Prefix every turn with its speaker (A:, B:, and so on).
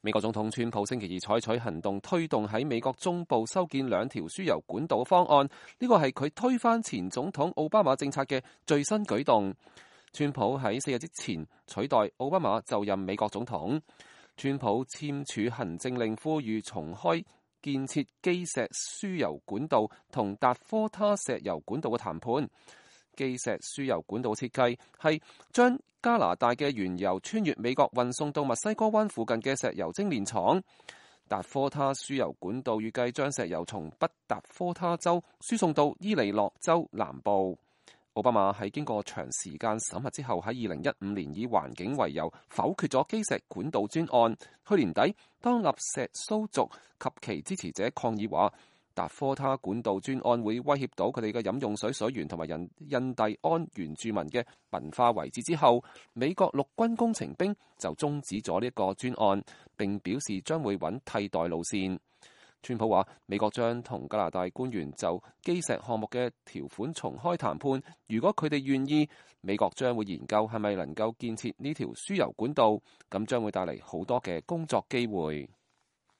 A: 美國總統川普星期二採取行動，推動喺美國中部修建2條輸油管道嘅方案。呢個係佢推翻前總統奧巴馬政策嘅最新舉動。川普喺4日之前取代奧巴馬就任美國總統。川普簽署行政令，呼籲重開建設基石輸油管道同達科他石油管道嘅談判。基石輸油管道設計係將加拿大嘅原油穿越美國運送到墨西哥灣附近嘅石油精煉廠。達科他輸油管道預計將石油從北達科他州輸送到伊利諾州南部。奧巴馬喺經過長時間審核之後，喺2015年以環境為由否決咗基石管道專案。去年底，當納石蘇族及其支持者抗議話達科他管道專案會威脅到佢哋嘅飲用水水源同埋印第安原住民嘅文化遺址之後，美國陸軍工程兵就終止咗呢個專案，並表示將會揾替代路線。川普話美國將同加拿大官員就基石項目嘅條款重開談判，如果佢哋願意，美國將會研究係咪能夠建設呢條輸油管道，咁將會帶嚟好多嘅工作機會。